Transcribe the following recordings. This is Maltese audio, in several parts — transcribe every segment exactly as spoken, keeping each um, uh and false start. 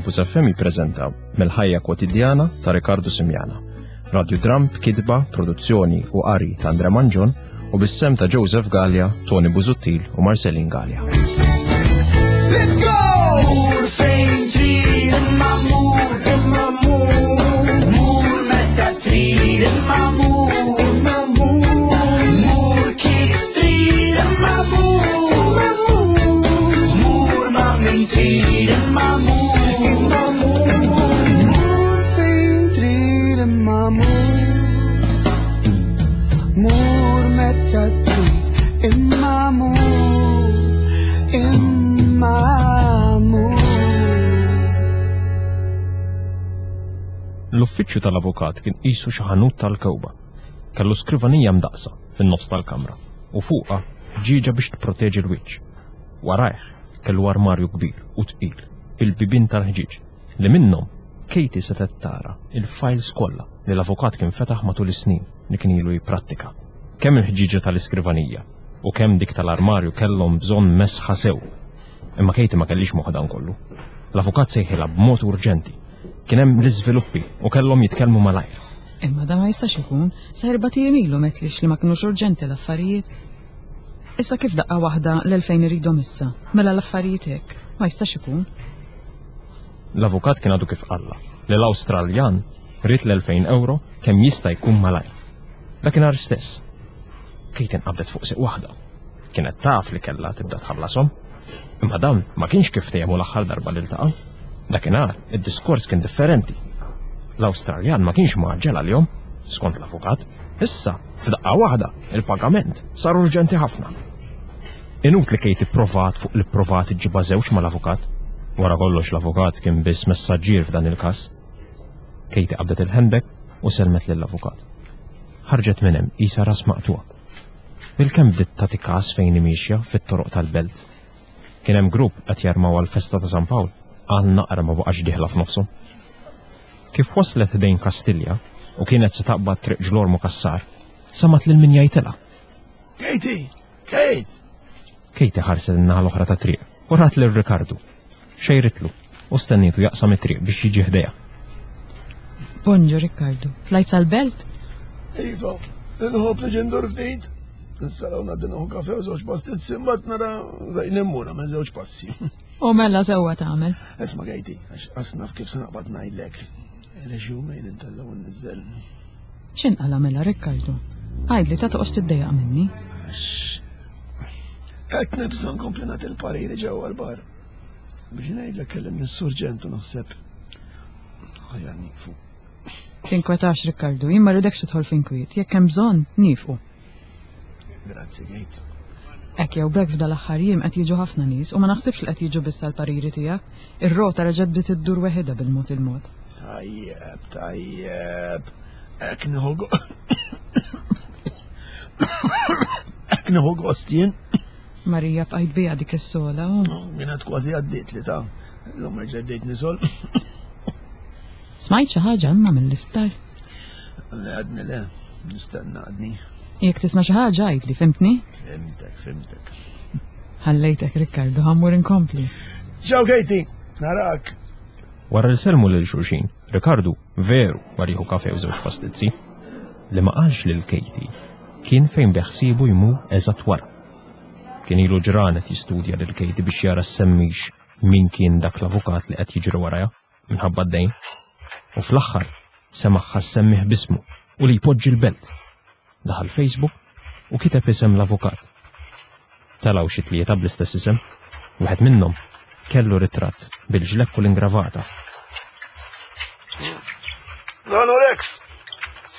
Campus F M jippreżenta Mill-ħajja kwotidjana ta' Riccardo Simiana. Radiodram b'kitba, produzzjoni u qari ta' Andre Mangion u bis-sehem ta' Joseph Gallia, Tony Busuttil u Marcelin Gallia. Let's go! Mur fejn trid imma mur, imma mur. Mur meta trid imma mur, imma mur. Mur kif trid imma mur, imma mur. Mur ma' min trid imma mur, imma mur. Mur fejn trid imma mur. Mur meta trid imma mur, imma mur. L-uffiċċju tal-avukat kien qisu xi ħanut tal-kewba. Kellu skrivanija mdaqsa fin-nofs tal-kamra u fuqha ħġieġa biex tipproteġi l-wiċċ. Warajh kellu armarju kbir u tqil bil-bibien tal-ħġieġ li minnhom Katie setgħet tara il-files kollha li l-avukat kien fetaħ matul is-snin li kien ilu jipprattika. Kemm il-ħġieġa tal-iskrivanija u kemm dik tal-armarju kellhom bżonn mesħa sew. Imma Katie ma kellix moħħ dan kollu. L-avukat sejħilha b'mod urġenti. Kien hemm l-iżviluppi u kellhom jitkellmu malajr. Imma da ma jistax ikun, sa erbat ijiem ilu m'għedtlix li ma kinux urġenti l-affarijiet. Issa kif daqqa waħda l-elfejn iridhom issa, mela l-affarijiet hekk, ma jistax ikun. L-avukat kien għadu kif qalla li l-Awstraljan ried l-elfejn euro kemm jista' jkun malajr. Dakinhar stess. Kate inqabdet fuq siq waħda. Kienet taf li kellha tibda tħallasom. Imma dan ma kienx kif ftehmu l-aħħar darba li ltaqgħu. Dakinhar id-diskors kien differenti. L-Awstraljan ma kienx mgħaġġel għalihom, skont l-avukat. Issa, f'daqqa waħda, il-pagament sar urġenti ħafna. Inutli Kate provat fuq li provat iġġibha żewġ mal-avukat. Wara kollox, l-avukat kien biss messaġġier f'dan il-każ. Kate qabdet il-handbag u selmet lill-avukat. Ħarġet minn hemm qisha ras maqtugħa. Bilkemm bdiet tagħti każ fejn miexja fit-toroq tal-belt. Kien hemm grupp qed jarmaw għall-festa ta' San Pawl, għal naqra ma baqax dieħla f'nofshom. Kif waslet ħdejn Kastilja u kienet se taqbad Triq Ġlormu Kassar, semgħet lil min jgħidilha. Katie! Kate! Katie ħarset in-naħa l-oħra ta' triq u rat lil Ricardo. Xejritlu u stennietu jaqsam it-triq biex jiġi ħdejha. Bonġu, Riccardo, tlajt sal-belt? Iva, nħobb li ndur ftit. Nissaraw ngħaddi nieħu kafe u żewġ pastizzi, mbagħad nara fejn immur minn żewġ passi. U mela sewwa tagħmel. Isma', Katie, għax qas naf kif se naqbad ngħidlek. Reġumejn intella' u nniżżel. X'inqala mela, Riccardo? Għidli, ta' toqgħodx tiddejjaq minni. Għax qed nibża' nkompli nagħti l-pariri ġewwa l-bar. Biex ngħidlek, kellimni s-surġent u naħseb aħjar nieqfu. Tinkwetax, Riccardo, jien ma rridekx tidħol f'inkwiet, jekk hemm bżonn, nieqfu. Grazzi, Kate. Hekk jew b'hekk, f'dal aħħar jiem qed jiġu ħafna nies u ma naħsibx li qed jiġu biss għall-pariri tiegħek. Ir-rota reġgħet bdiet iddur weħidha bil-mod il-mod. Tajjeb, tajjeb. Hekk nieħu go- Hekk nieħu gost jien. Marija, bqajt bija dik is-sola u Kienet kważi għaddiet li ta' l-lum rġeddejt nisol. Smajt xi ħaġa imma mill-isptar? Le, għadni le, nistenna għadni. Jekk tisma' xi ħaġa, għidli, fhimtni? Fhimtek, fhimtek. Ħallejtek, Riccardo, ħa mmur inkompli. Ciao, Katie, narak. Wara li selmu lil xulxin, Ricardo veru mar jieħu kafe u żewġ pastizzi. Li ma qalx lil Katie kien fejn beħsiebu jmur eżatt wara. Kien ilu ġranet jistudja lil Katie biex jara semmix min kien dak l-avukat li qed jiġri warajha minħabba d-dejn. U fl-aħħar semagħha ssemmih b'ismu u li jpoġġi l-belt. Daħal Facebook u kiteb isem l-avukat. Telgħu xi tlieta bl-istess isem. Wieħed minnhom kellu ritratt bil-ġlekk u l-ingravata. Nanu Rex!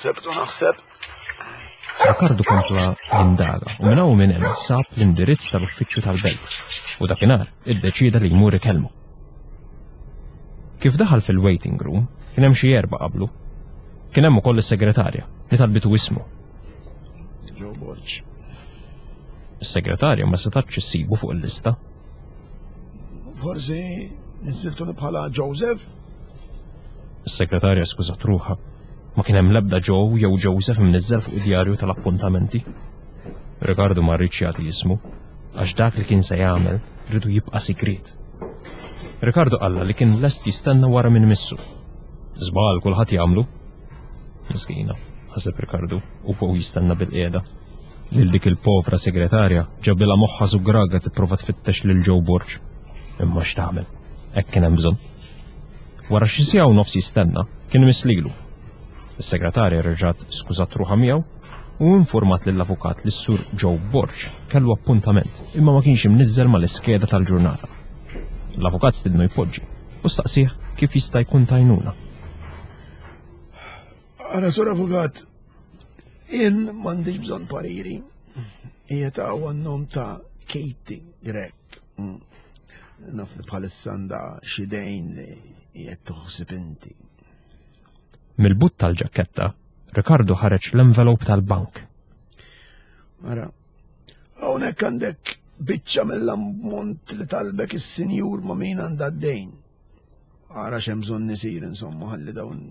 Sebtu naħseb. Ricardo kompla jindaga u minn hawn minn hemm sab l-indirizz tal-uffiċċju tal-belt u dakinhar iddeċieda li jmur ikellmu. Kif daħal fil-waiting room, kien hemm xi erba' qablu. Kien hemm ukoll is-segretarja li talbitu ismu. Joe Borg. Is-segretarja ma setatx issibu fuq il-lista. Forsi niżżiltuni bħala Joseph? Is-segretarja skużat ruħha. Ma kien hemm l-ebda Joe jew Joseph mniżżel fuq id-djarju tal-appuntamenti. Ricardo ma riedx jagħti ismu għax dak li kien se jagħmel riedu jibqa' sigriet. Ricardo qalla li kien lest jistenna wara minn missu. Żball kulħadd jagħmlu. Miskina, ħaseb Ricardo u hu jistenna bil-qiegħda. Lil dik il-povra segretarja ġabilha moħħa żugraga tipprova tfittex lil Joe Borg. Imma x'tagħmel? Hekk kien hemm bżonn. Wara xi siegħa u nofs jistenna, kien mislilu. Is-segretarja reġgħet skużat ruħha miegħu u informat lill-avukat li s-sur Joe Borg kellu appuntament imma ma kienx imniżżel mal-iskeda tal-ġurnata. L-avukat stidnu jpoġġi u staqsih kif jista' jkun tajnuna. Ara, sur avukat, jien m'għandix bżonn pariri. Hija ta' għan-nom ta' Katie Grech. Mm. Naf li bħalissa għandha xi dejn li qiegħed toħsib inti. Mill-but tal-ġaketta, Ricardo ħareġ l-envelope tal-bank. Ara, hawnhekk għandek biċċa mill-ammont li talbek is-sinjur ma' min għandha d-dejn. Ara x'hemm bżonn isir insomma ħalli dawn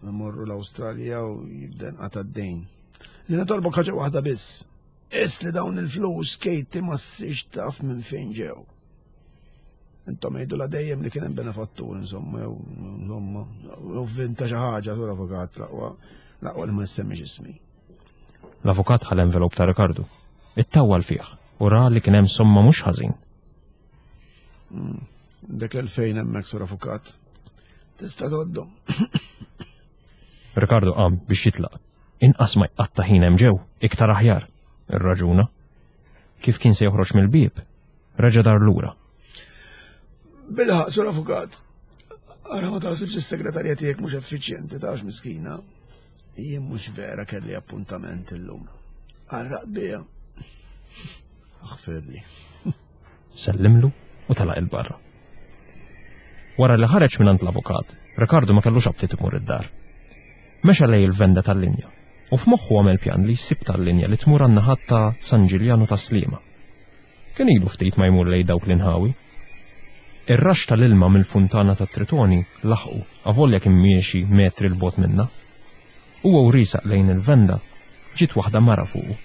imorru l-Awstralja u jibda nqata' d-dejn. Li nitolbok ħaġa waħda biss. Is li dawn il-flus Katie ma ssirx taf minn fejn ġew. Intom għidu la dejjem li kien hemm benefattur insomma jew insomma jew vinta xi ħaġa sur avukat l-aqwa l-aqwa li ma nsemmix ismi. L-avukat ħa l-envelope ta' Ricardo. Ittawwal fih u ra li kien hemm somma mhux ħażin. Dak elfejn hemmhekk sur avukat. Tista' tgħoddhom. Ricardo qam biex jitlaq. Inqas ma jqatta' ħin hemm ġew, iktar aħjar, irraġuna. Kif kien se joħroġ mill-bieb, reġa' dar lura. Bilħaq, sur avukat. Ara ma taħsibx is-segretarja tiegħek mhux effiċjenti tax miskina. Jien mhux vera kelli appuntament illum. Qarraq bija. Aħfirli. Sellimlu u telaq il-barra. Wara li ħareġ minn l-avukat, Ricardo ma kellux aptit imur id-dar. Mexa lej il-venda tal-linja u f'moħħu għamel pjan li jsib tal-linja li tmur għan-naħat ta' San Ġiljanu ta' Sliema. Kien ilu ftit ma jmur lej dawk l-inħawi. Ir-raxx tal-ilma mill-funtana ta' Tritoni laħqu avolja kien miexi metri 'l bogħod minna. Huwa u riesaq lejn il-venda ġiet waħda mara fuqu.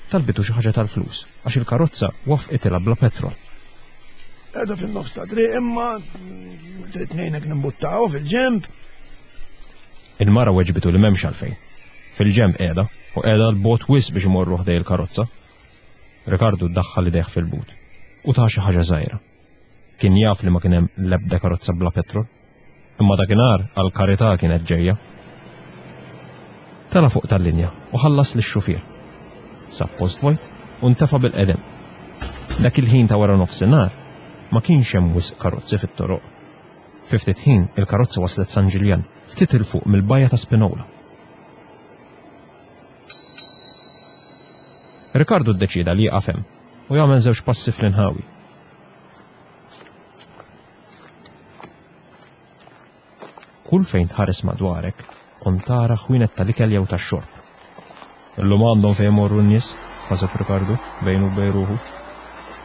Talbitu xi ħaġa tal-flus għax il-karozza wafqitilha bla petrol. Qiegħda fin-nofs ta' triq imma trid ngħinek nimbuttaw fil-ġemb. Il-mara weġbitu li m'hemmx għalfejn. Fil-ġemb qiegħda u qiegħda 'l bogħod wisq biex imorru ħdej il-karozza. Ricardo daħħal idejh fil-but u ta xi ħaġa żgħira. Kien jaf li ma kien hemm l-ebda karozza bla petrol. Imma dakinhar għall-karità kienet ġejja. Tela' fuq tal-linja u ħallas lix-xufier. Sab post vojt u ntefa' bil-qedem. Dak il-ħin ta' wara nofsinhar ma kienx hemm wisq karozzi fit-toroq. Fi ftit ħin il-karozza waslet San Ġiljan, ftit 'il fuq mill-bajja ta' Spinola. Ricardo ddeċieda li jieqaf hemm u jagħmel żewġ passi fl-inħawi. Kull fejn tħares madwarek kont tara ħwienet tal-ikel jew tax-xorb. Illum għandhom fejn imorru n-nies, ħaseb Ricardo bejnu u bejn ruħu.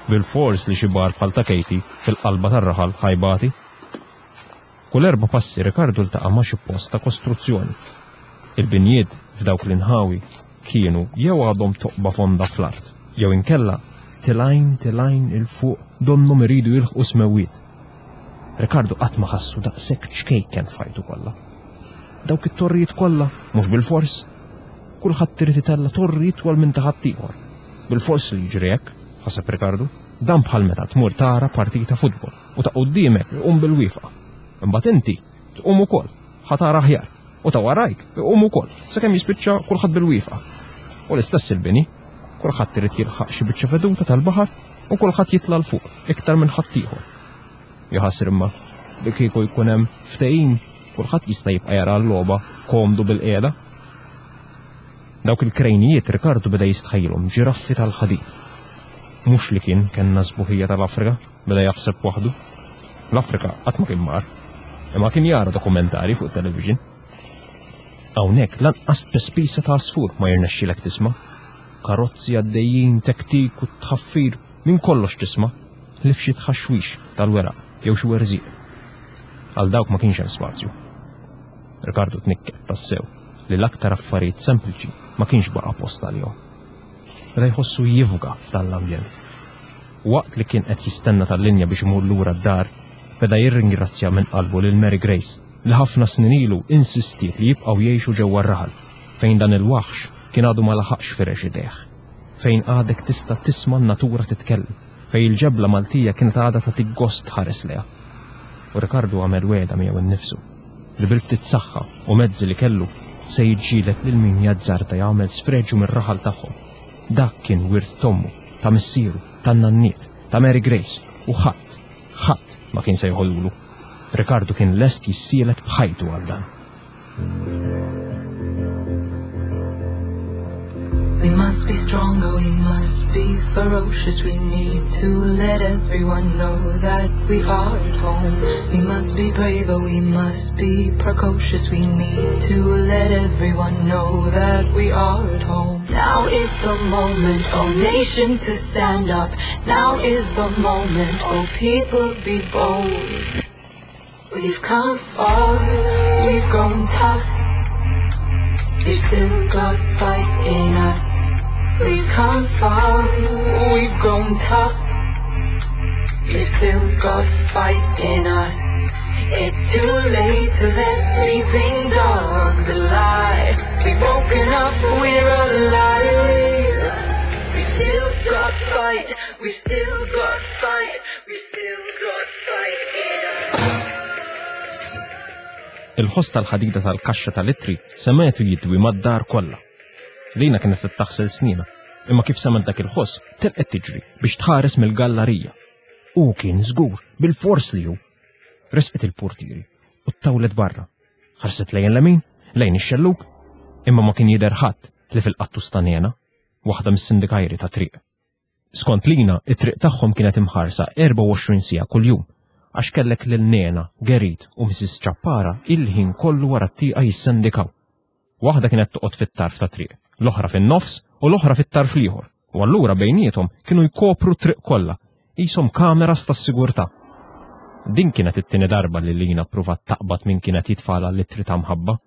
Bil-fors li xi bar bħal ta' Katie fil-qalba tar-raħal ħajbati. Kull erba' passi Ricardo ltaqa' ma' xi post ta' kostruzzjoni. Il-binjiet f'dawk l-inħawi kienu jew għadhom toqba fonda fl-art, jew inkella tilgħin tilgħin 'il fuq donnhom iridu jilħqu smewwiet. Ricardo qatt ma ħassu daqshekk ċkejken f'ħajtu kollha. Dawk it-torrijiet kollha mhux bil-fors. Kulħadd irid itella' torri itwal minn ta' ħaddieħor. Bil-fors li jiġri hekk, ħaseb Ricardo, dan bħal meta tmur tara partita futbol u ta' quddiemek iqum bil-wieqfa. Imbagħad inti tqum ukoll, ħa tara aħjar, u ta' warajk iqum ukoll, sakemm jispiċċa kulħadd bil-wieqfa. U l-istess il-bini, kulħadd irid jilħaq xi biċċa veduta tal-baħar u kulħadd jitla' 'l fuq iktar minn ħaddieħor. Jaħasra imma li kieku jkun hemm ftehim, kulħadd jista' jibqa' jara l-logħba komdu bil-qiegħda. Dawk il-krejnijiet Ricardo beda jistħajjilhom ġiraffi tal-ħadid. Mhux li kien kellna sbuħija tal-Afrika, beda jaħseb waħdu. L-Afrika qatt ma kien mar, imma kien jara dokumentari fuq television. Hawnhekk lanqas pespisa ta' għasfur ma jirnexxilek tisma'. Karozzi għaddejjin, tektik u tħaffir minn kollox tisma', li f'xi tħaxwix tal-weraq jew xi werżieq. Għal dawk ma kienx hemm spazju. Ricardo tnikket tassew li l-aktar affarijiet sempliċi ma kienx baqa' post għalihom. Beda jħossu jifga f'dan l-ambjent. Waqt li kien qed jistenna tal-linja biex imur lura d-dar, Beda jirringrazzja minn qalbu lil Mary Grace li ħafna snin ilu insistiet li jibqgħu jgħixu ġewwa r-raħal fejn dan il-waħx kien għadu ma laħaqx firex idejh, fejn għadek tista' tisma' n-natura titkellem, fejn il-ġebla Maltija kienet għadha tagħtik gost tħares lejha. U Rikardu għamel wegħda miegħu nnifsu li bil-ftit saħħa u mezzi li kellu se jiġġieled lil min jazzarda jagħmel sfreġju mir-raħal tagħhom. Dak kien wirt t'ommu, ta' missieru, tan-nanniet, ta' Mary Grace u ħadd, ħadd ma kien se jħollulu. Rikardu kien lest jissielet b'ħajtu għal dan. We must be stronger, we must be ferocious. We need to let everyone know that we are at home. We must be braver, we must be precocious. We need to let everyone know that we are at home. Now is the moment, oh nation, to stand up. Now is the moment, oh people, be bold. We've come far, we've grown tough. We've still got fight in us. We've come far, we've grown tough. We've still got fight in us. It's too late to let sleeping dogs lie. We've woken up, we're alive. We've still got fight, we've still got fight, we've still got fight in us. Il-ħoss tal-ħadida tal-kaxxa tal-ittri semgħetu jidwi mad-dar kollha. Lina kienet qed taħsel snienha, imma kif semgħet dak il-ħoss telqet tiġri biex tħares mill-gallarija. U kien żgur bil-fors li hu. Resqet il-portieri u ttawlet barra. Ħarset lejn l-lemin, lejn ix-xellug, imma ma kien jidher ħadd li fil-qattus ta' Nena, waħda mis-sindikajri ta' triq. Skont Lina, it-triq tagħhom kienet imħarsa erbgħa u għoxrin siegħa kuljum, għax kellek lil Nena, Gerit u Missus Ċappara il-ħin kollu wara t-tieqa jissendikaw. Waħda kienet toqgħod fit-tarf ta' triq, l-oħra fin-nofs u l-oħra fit-tarf l-ieħor, u allura bejniethom kienu jkopru t-triq kollha, qishom kameras tas-sigurtà. Din kienet it-tieni darba li Lina ppruvat taqbad min kienet jitfala l-ittri ta' mħabba.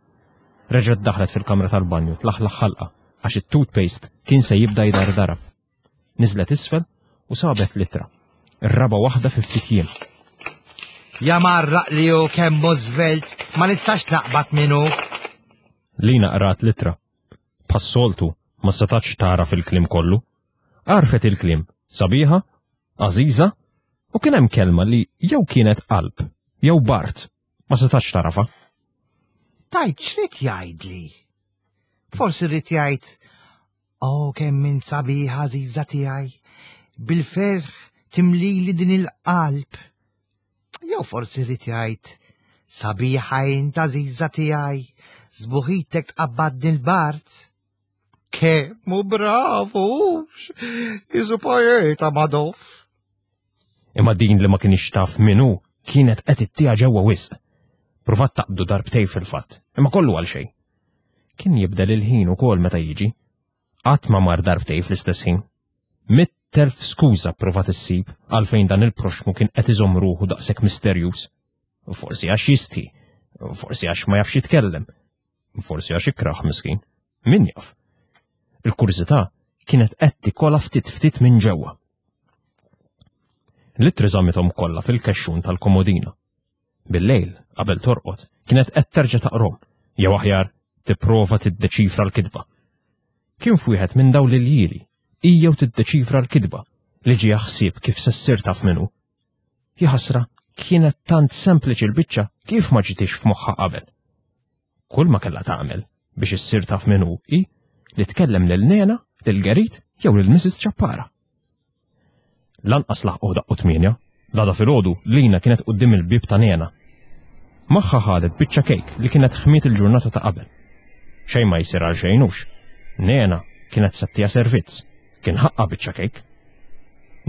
Reġgħet daħlet fil-kamra tal-banju tlaħlaħ ħalqa għax it-toothpaste kien se jibda jdardara. Niżlet isfel u sabet l-ittra, ir-raba' waħda fi ftit jiem. Ja marraq li hu kemm hu żvelt, ma nistax naqbad minnu. Lina qrat l-ittra. Bħas-soltu ma setax tara fil-kliem kollu. Għarfet il-kliem sabiħa, għażiża, u kien hemm kelma li jew kienet qalb, jew bart, ma setax tarafa. Tajt x'rid jgħidli? Forsi rrid jgħid, oh kemm minn sabiħa għażiża tiegħi, bil-ferħ timlili din il-qalb. Jew forsi rrid jgħid, sabiħa int għażiża tiegħi, żbuħitek tqabbad din il-bart. Kemm hu bravu, isu poeta Madoff. Imma din li ma kienx taf min hu kienet qed ittieha ġewwa wisq. Provat taqbdu darbtej fil-fatt, imma kollu għal xejn. Kien jibdel il-ħin ukoll meta jiġi. Qatt ma mar darbtej fl-istess ħin. Mitt elf skuża provat issib għalfejn dan il-proxmu kien qed iżomm ruħu daqshekk misterjuż. Forsi għax jistħi, forsi għax ma jafx jitkellem, forsi għax ikraħ miskin, min jaf. Il-kurżità kienet qed tikola ftit ftit minn ġewwa. L-ittri żammithom kollha fil-kexxun tal-komodina. Bil-lejl, qabel torqod, kienet qed terġa' taqrom, jew aħjar tipprova tiddeċifra l-kitba. Kien f'wieħed minn dawn l-iljieli, hija u tiddeċifra l-kitba li ġie ħsieb kif se ssir taf minnu. Jaħasra kienet tant sempliċi l-biċċa kif ma ġitix f'moħħha qabel. Kull ma kellha tagħmel biex issir taf minnu hi li tkellem lil Nena, lil Gerit jew lil Missus Ċappara. Lanqas laħqu daqqu tmienja, l-għada filgħodu Lina kienet quddiem il-bieb ta' Nena. Magħha ħadet biċċa kejk li kienet ħmiet il-ġurnata ta' qabel. Xejn ma jsir għal xejnux. Nena kienet settija servizz, kien ħaqqa biċċa kejk.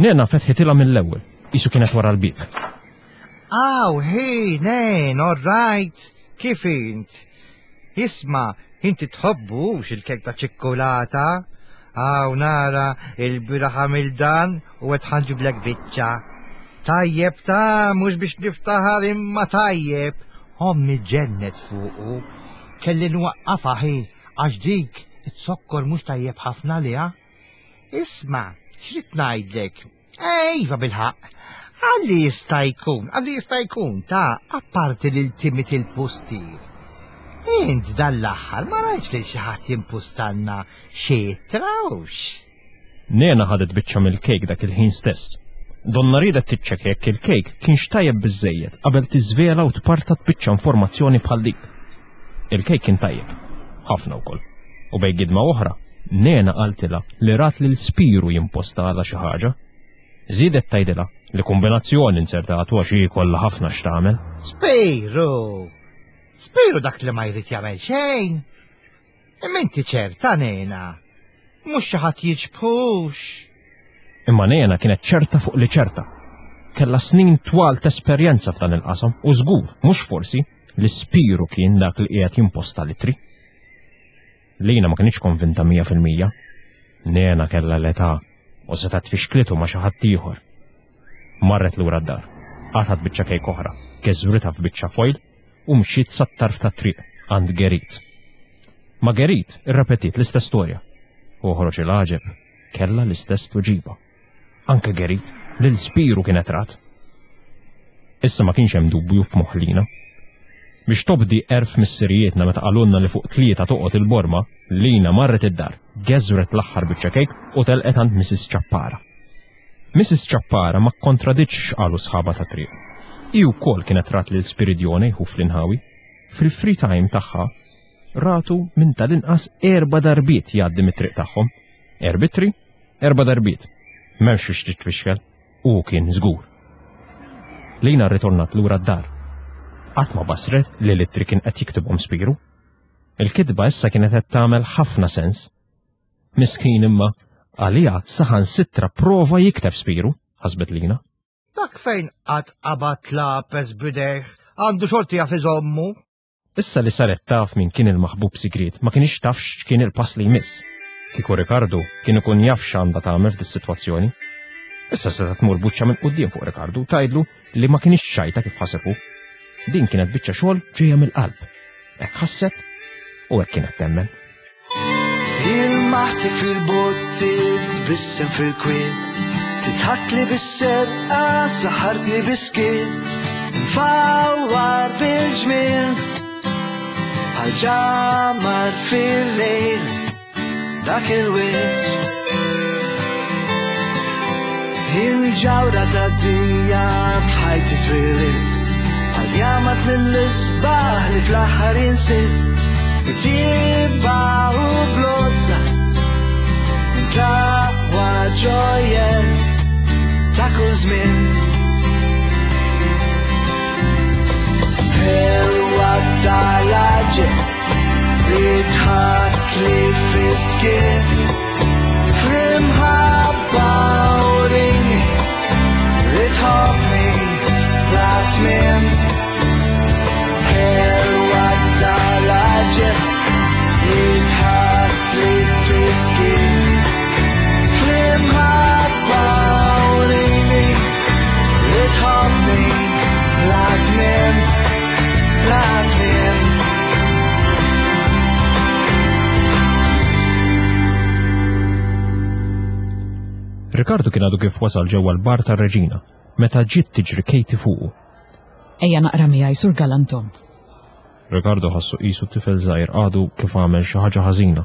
Nena fetħitilha mill-ewwel, qisu kienet wara l-bieb. Aw, hey, Nen, all right, kif int? Isma', inti tħobbux il-kejk ta' ċikkulata? Aw, nara, il-bieraħ għamil dan u qed ħanġiblek biċċa. Tajjeb ta' mhux biex niftaħar imma tajjeb. Ommi ġennet fuqu. Kelli nwaqqafha ħi, għax dik it-sokkor mhux tajjeb ħafna liha. Isma', x'rid ngħidlek? Ejva bilħaq. Għalli jista' jkun, għalli jista' jkun ta' apparti lil Timmy il-pustier. Int dan l-aħħar ma rajtx li xi ħadd jimpustanna xi trawx. Nena ħadet biċċa mill-kejk dak il-ħin stess. Donna riedet tiċċekkja jekk il-kejk kienx tajjeb biżejjed qabel tiżvela u tpartat biċċa informazzjoni bħal dik. Il-kejk kien tajjeb, ħafna wkoll. U bejn gidma oħra, Nena qaltilha li rat lil Spiru jimposta għala xi ħaġa. Żiedet tgħidilha li kombinazzjoni inzertatu għax hi kollha ħafna x'tagħmel. Spiru! Spiru dak li ma jrid jagħmel xejn. Imma inti ċerta Nena. Mhux xi ħadd jiġbħux. Imma Nena kienet ċerta fuq li ċerta. Kella snin twal ta' esperjenza f'dan il-qasam u żgur, mhux forsi, li Spiru kien dak li qiegħed jimposta l-ittri. Lina ma kienx konvinta mija fil-mija. Nena kella l-età u setgħet tfixklitu ma' xi ħadd ieħor. Marret lura d-dar, qatgħet biċċa kejk oħra, keżwritha f'biċċa foil u mxiet sat-tarf tat-triq għand Gerit. Ma' Gerit irrepetiet l-istess storja. U ħroġ il-għaġeb, kella l-istess tweġiba. Anke Gerit, lil Spiru kienet rat. Issa ma kienx hemm dubju f'moħħ Lina. Biex tobdi għerf missirijietna meta qalulna li fuq tlieta toqgħod il-borma, Lina marret id-dar, geżwret l-aħħar biċċa kejk u telqet għand Missus Ċappara. Missus Ċappara ma kontraditx x'qalu sħaba ta' triq. Hi wkoll kienet rat lil Spiridione jħuf l-inħawi. Fil-free time tagħha ratu minn tal-inqas erba' darbiet jgħaddi mit-triq tagħhom. Erbitri, erba' darbiet. M'hemmx biex titfixkel, u kien żgur. Lina rritornat lura d-dar. Qatt ma basret li l-ittri kien qed jiktibhom Spiru. Il-kitba issa kienet qed tagħmel ħafna sens. Miskin imma għalija saħansitra prova jikteb Spiru, ħasbet Lina. Dak fejn qatt qabad lapes b'idejh, għandu xorti jaf iżommu. Issa li saret taf min kien il-maħbub sigriet, ma kienx taf x'kien il-pass li jmiss. Kieku Ricardo kien ikun jaf x'għandha tagħmel f'dis-sitwazzjoni. Issa setgħet tmur buċċa minn quddiem fuq Ricardo u tgħidlu li ma kienx ċajta kif ħaseb hu. Din kienet biċċa xogħol ġejja mill-qalb. Hekk ħasset u hekk kienet temmen. Il-maħti fil-botti, tbissem fil-kwiet, titħakli bis-serqa, saħartni bis-skiet, nfawwar bil-ġmiel, bħal ġamar fil-lejl, dak il-wiċċ. Il-ġawra tad-dinja f'ħajti twieled, bħal jamat mill-isbaħ li fl-aħħar insiet, bitibba u blozza, intlaqwa ġojjel ta' kull żmien. Ħelwa tal-għaġeb li tħakk li fiskiet, fl-imħabba urini li tħobbni bla tmiem. Ħelwa tal-għaġeb li tħakk li fiskiet, fl-imħabba urini li tħobbni bla tmiem, bla tmiem. Ricardo kien għadu kif wasal ġewwa l-bar tar-Reġina meta ġiet tiġri Katie fuqu. Ejja naqra miegħi sur Galantom. Ricardo ħassu qisu tifel żgħir għadu kif għamel xi ħaġa ħażina.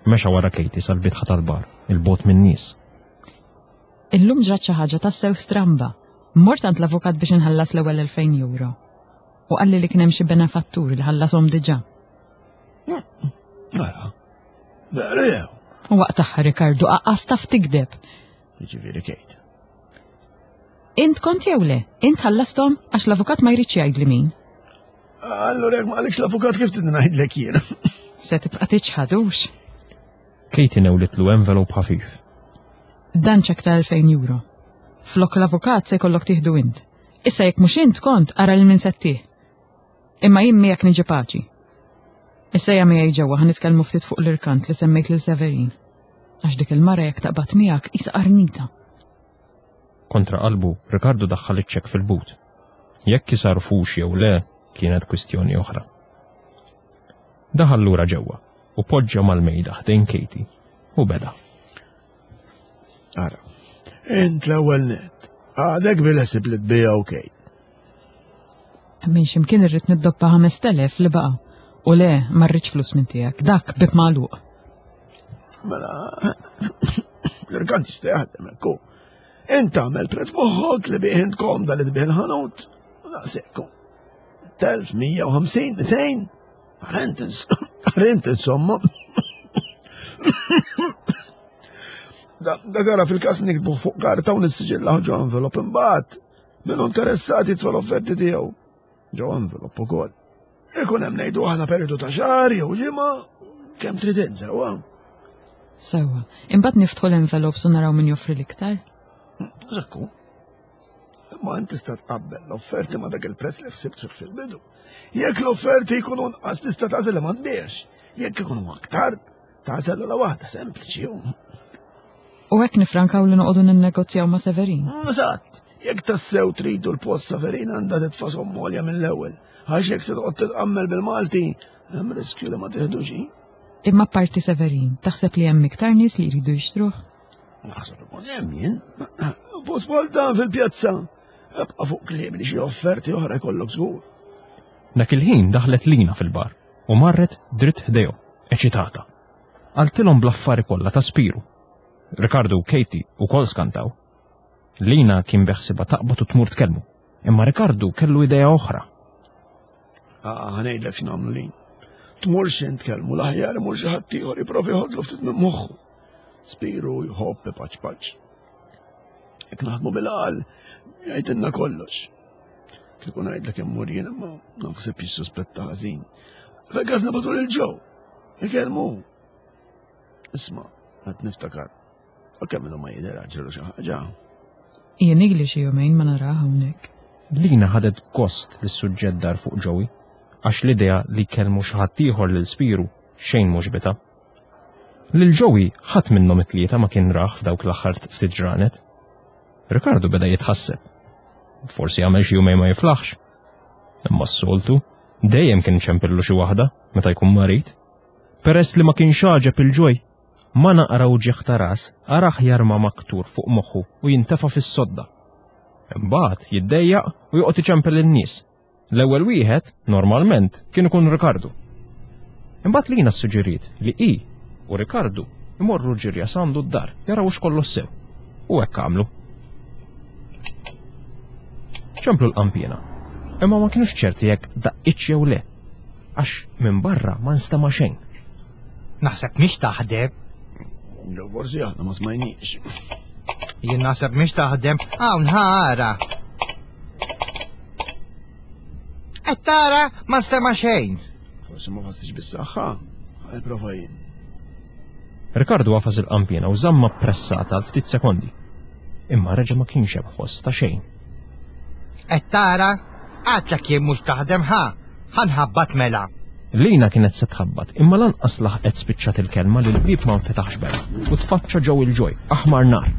Mexa wara Katie sal-bitħa tal-bar, il-bot min-nies. Illum ġrat xi ħaġa tassew stramba. Mort għand l-avukat biex inħallas l-ewwel elfejn euro. U qalli li kien hemm xi benefattur li ħallashom diġà. Ara, veru jew? U waqt aħħar Ricardo aqqas taf tikdeb. Jiġifieri Kate. Int kont jew le? Int ħallasthom għax l-avukat ma jridx jgħidli min. Allura jekk ma qalekx l-avukat kif trid ngħidlek jien? Se tibqa' tiċħadux. Katie newlitlu envelope ħafif. Dan ċek ta' elfejn euro. Flok l-avukat se jkollok tieħdu int. Issa jekk mhux int kont ara lil min settih. Imma jien miegħek niġi paċi. Issa hija miegħi ġewwa ħa nitkellmu ftit fuq l-irkant li semmejt lil Severin. Għax dik il-mara jekk taqbad miegħek qisha qarnita. Kontra qalbu, Ricardo daħħal iċ-ċekk fil-but. Jekk isarfux jew le, kienet kwistjoni oħra. Daħal lura ġewwa u poġġa mal-mejda ħdejn Katie u beda. Ara, Int l-ewwel nett. Għadek bil-ħsieb li tbigħu Kate. Minn x'imkien irrid niddobba ħamest elef li baqa'. U le, ma rridx flus minn tiegħek, dak bib magħluq. Mela, l-irkant jista' jaħdem hekk hu. Int tagħmel prezz moħħok li bih int komda li tbigħ il-ħanut. Daqshekk hu. Telf, mija u ħamsin, mitejn. Rent insomma. Dak ara fil-każ nikbu fuq karta u nissiġillaw ġo envelop imbagħad. Min hu interessat jitfa' l-offerti tiegħu. Ġo envelop ukoll. Ikun hemm ngħidu aħna perjodu ta' xahar jew ġimgħa kemm trid int sewwa. Sewwa. Imbagħad niftħu l-envelopes u naraw min joffri l-iktar. Ekku. Imma int tista' tqabbel l-offerti ma' dak il-prezz li ħsibt fih fil-bidu. Jekk l-offerti jkunu nqas tista' tagħżel li ma tbiex. Jekk ikunu aktar, tagħżel la waħda sempliċi. U hekk nifrankaw li noqogħdu ninnegozjaw ma' Severin. Eżatt. Jekk tassew tridu l-post Severin għandha titfa' somma għolja mill-ewwel. Għax jekk se toqgħod titqammel bil-Malti, hemm riskju li ma tieħdux. Imma parti Severin, taħseb li hemm iktar nies li jridu jixtruh? Naħseb ikun hemm jien. Post bħal dan fil-pjazza. Ebqa' fuq kliem li xi offerti oħra jkollok żgur. Dak il-ħin daħlet Lina fil-bar u marret dritt ħdejhom, eċitata. Qaltilhom bl-affari kollha ta' Spiru. Ricardo u Katie wkoll skantaw. Lina kien beħsiba taqbad u tmur tkellmu, imma Ricardo kellu idea oħra. Ah, ħa ngħidlek x'nagħmlu Lin. Tmurx int tkellmu l-aħjar imur xi ħadd ieħor jipprovi jħodlu ftit minn moħħu. Spiru jħobb paċ paċ. Jekk naħdmu bil-għal, jgħidilna kollox. Kieku ngħidlek immur jien imma naħseb jissuspetta ħażin. Fil-każ nibgħatu lil Joe. Ikellmu. Isma', qed niftakar. U kemm ilu ma jidher ġralu xi ħaġa. Jien igli xi jumejn ma narah hawnhekk. Lina ħadet gost li s-suġġett dar fuq Joey, għax l-idea li kellmu xi ħadd ieħor lil Spiru xejn mhux bitha. Lil Joey ħadd minnhom it-tlieta ma kien rah f'dawk l-aħħar ftit ġranet. Ricardo beda jitħasseb. Forsi għamel xi jumejn ma jiflaħx. Imma s-soltu dejjem kien ċempillu xi waħda meta jkun marid. Peress li ma kienx għaġeb il-Joy, ma naqra uġigħ ta' ras, araħ jarma maktur fuq moħħu u jintefa' fis-sodda. Imbagħad jiddejjaq u joqgħod iċempel lin-nies. L-ewwel wieħed, normalment, kien ikun Ricardo. Imbagħad Lina ssuġġeriet li hi u Ricardo imorru ġirja s'għandu d-dar jaraw x'kollox sew. U hekk għamlu. Ċemplu l-qanpiena, imma ma kienux ċerti jekk daqqitx jew le, għax minn barra ma nstema' xejn. Naħseb mhix taħdem. Jew forsi aħna ma smajniex. Jien naħseb mhix taħdem, hawn ħara. Qed tara ma nstema' xejn. Forsi ma ħassix bis-saħħa, ħa nipprova jien. Ricardo għafas il-qanpiena u żamma pressata għal ftit sekondi. Imma reġa' ma kienx hemm ħoss ta' xejn. Qed tara, għadlek jien mhux taħdem ħa, ħa nħabbat mela. Lina kienet se tħabbat, imma lanqas laħqet spiċċat il-kelma li l-bieb ma nfetaħx bera u tfaċċa ġew il-Joy, aħmar nar.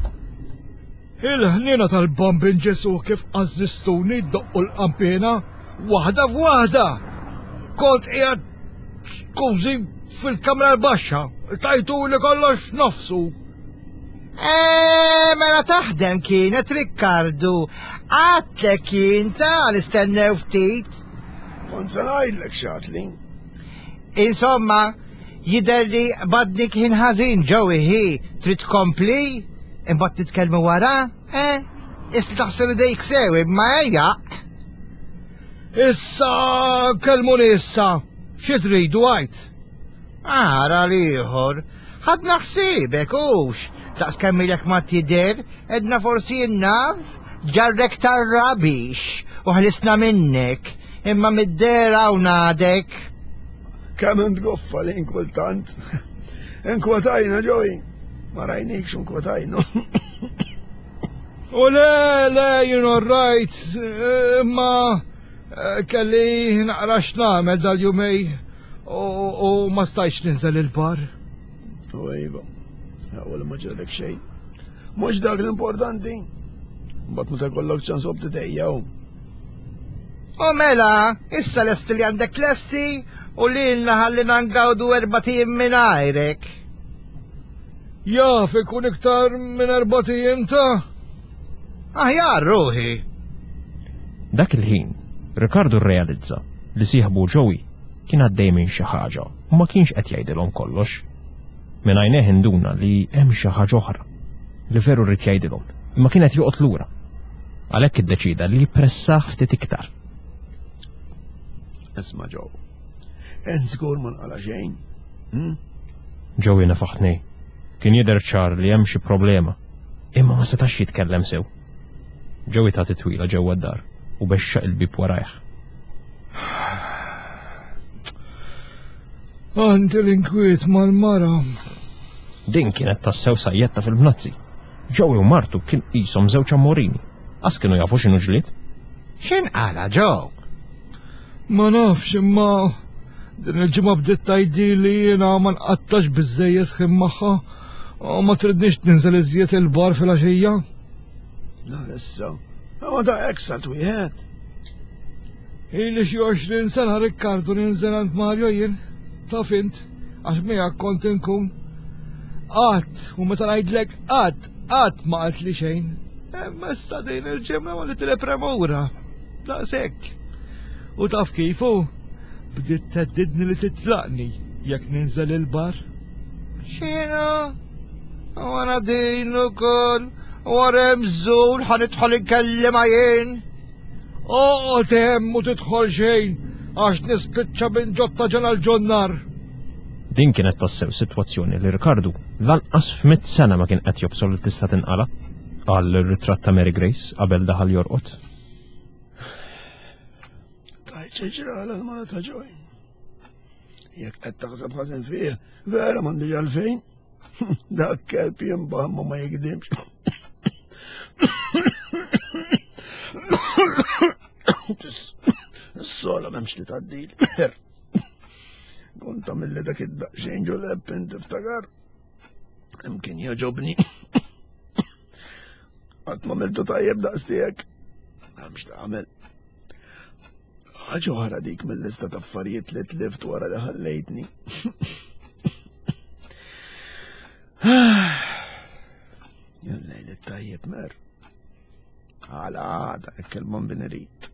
Il-ħniena tal-bambin Ġesu kif qażżistuni ddoqqu l-qanpiena waħda f'waħda. Kont qiegħed skużi fil-kamra l-baxxa, tajtu li kollox f'nofsu. Eh, mela taħdem kienet Riccardo. Għadlek jien ta' nistennew ftit. Kont se ngħidlek x'għadli. Insomma, jidher li badnik ħin ħażin Joey hi, trid tkompli, imbagħad titkellmu wara, eh? Isli taħseb idejk sew imma ejja. Issa kellmuni issa, xi tridu għajt? Ara l-ieħor, ħadna ħsiebek hux, daqs kemm ilek ma tidher, edna forsi n-naf, ġarrek tar-rabix u ħlisna minnek, imma mid-dehra hawn għadek. Kemm int goffa li inkultant. Inkwetajna Joey, ma rajnikx inkwetajna. U le, le, jien all right, imma kelli naqra x'nagħmel dal-jumej u, u ma stajtx ninżel il-bar. U iva, ewwel ma ġralek xejn. Mhux dak l-importanti. Mbagħad meta jkollok ċans obti tejjaw. U mela, issa lesti li għandek lesti u lilna ħallina ngawdu erbat ijiem mingħajrek. Jaf ikun iktar minn erbat ijiem ta'. Aħjar ruħi. Dak il-ħin, Ricardo rrealizza li sieħbu Joey kien għaddej minn xi ħaġa u ma kienx qed jgħidilhom kollox. Minn għajnejh induna li hemm xi ħaġa oħra li veru rrid jgħidilhom, imma kien qed joqgħod lura. Għalhekk iddeċida li jippressah ftit iktar. Isma' Joe. Int żgur ma nqala xejn. Hm? Joey nefaħ tnej. Kien jidher ċar li hemm xi problema, imma ma setax jitkellem sew. Joey ta titwila ġewwa d-dar u bexxaq il-bib warajh. Għandi l-inkwiet mal-mara. Din kienet tassew sajjetta fil-bnazzi. Joey u martu kien qishom żewġ ammorini. Qas kienu jafu x'inhu ġlied. X'inqala Joe? Ma nafx imma din il-ġimgħa bdiet tgħidli li jiena ma nqattax biżejjed ħin magħha u ma tridniex ninżel iżjed il-bar fil-għaxija. La issa. Ma da eksalt wieħed. Ili xi għoxrin sena Rikkardu ninżel għand Mario jien. Taf int, għax miegħek kont inkun. Qatt, u meta ngħidlek qatt, qatt ma qaltli xejn. Imma issa din il-ġimgħa ma li telepremura. Daqshekk. U taf kif hu? Bdiet theddidni li titlaqni jekk ninżel il-bar. X'inhu? U għana din ukoll. U għarem żul ħa nidħol inkellimha jien. Oqgħod hemm u tidħol xejn għax nispiċċa minn ġotta ġena l-ġonnar. Din kienet tassew sitwazzjoni li Ricardo lanqas f'mitt sena ma kien qed jobsor li tista' tinqala. Qal ir-ritratt ta' Mary Grace qabel daħal jorqod. Tajt xi ġrala l-mara ta' Joey. Jekk qed taħseb ħażin fih, vera m'għandix għalfejn. Dak kelb jinbaħ ma ma jikdimx. Is-sola m'hemmx li tgħaddil. Kont tagħmilli dak id-daqsxejn ġoleb int tiftakar. Imkien jogħġobni. Qatt ma għamiltu tajjeb daqs tiegħek. M'hemmx tagħmel. Ħaġa oħra dik mill-lista ta' affarijiet li tlift wara li ħallejtni. Jallejl it-tajjeb mer. Għala għada, hekk il-bombin irid.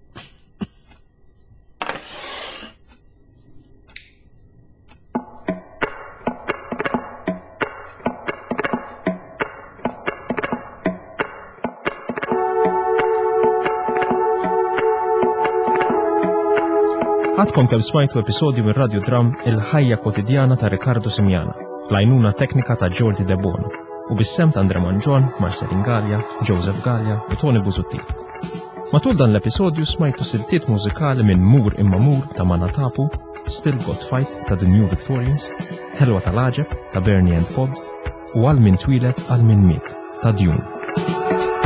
Għadkom kemm smajtu episodju mir Radio Dram Il-ħajja kwotidjana ta' Riccardo Simiana, l-għajnuna teknika ta' Jordi De Bono, u bis-sem ta' Andre Mangion, Marcelin Gallia, Joseph Gallia u Tony Busuttil. Matul dan l-episodju smajtu siltiet mużikali minn Mur Imma Mur ta' Manatapu, Still Got Fight ta' The New Victorians, Ħelwa tal-Għaġeb ta' Bernie and Pod u Għal Min Twieled Għal Min Miet ta' Dune.